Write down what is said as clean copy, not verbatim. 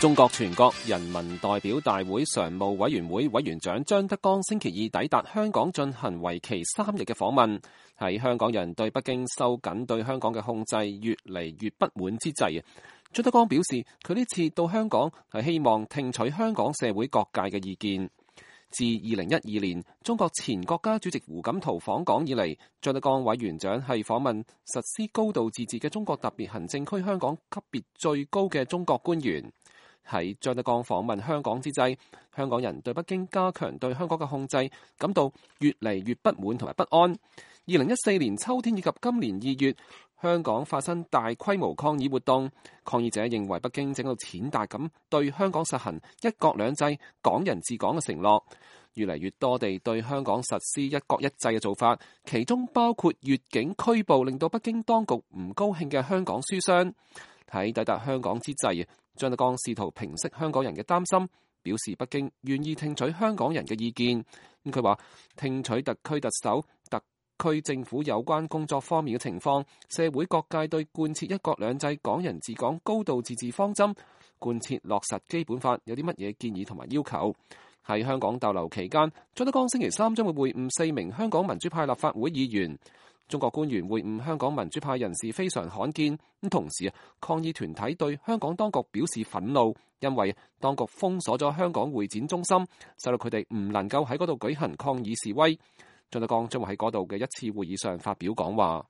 中國全國人民代表大會常務委員會委員長張德江星期二抵達香港進行為期3日嘅訪問。喺香港人對北京收緊對香港嘅控制越嚟越不滿之際，張德江表示佢呢次到香港係希望聽取香港社會各界嘅意見。自2012年中國前國家主席胡錦濤訪港以嚟，張德江委員長係訪問實施高度自治嘅中國特別行政區香港級別最高嘅中國官員。喺張德江訪問香港之際，香港人對北京加強對香港嘅控制感到越嚟越不滿同埋不安。2014年秋天以及今年2月，香港發生大規模抗議活動，抗議者認為北京正喺度踐踏咁對香港實行一國兩制、港人治港嘅承諾，越嚟越多地對香港實施一國一制嘅做法，其中包括越境拘捕令到北京當局唔高興嘅香港書商。喺抵達香港之際，張德江試圖平息香港人嘅擔心，表示北京願意聽取香港人嘅意見。佢話聽取特區特首、特區政府有關工作方面嘅情況，社會各界對貫徹一國兩制、港人治港、高度自治方針、貫徹落實基本法有啲乜嘢建議同埋要求。喺香港逗留期間，張德江星期三將會會晤4名香港民主派立法會議員。中國官員會晤香港民主派人士非常罕見，同時抗議團體對香港當局表示憤怒，因為當局封鎖咗香港會展中心，使到佢哋唔能夠喺嗰度舉行抗議示威。張德江將會喺嗰度嘅一次會議上發表講話。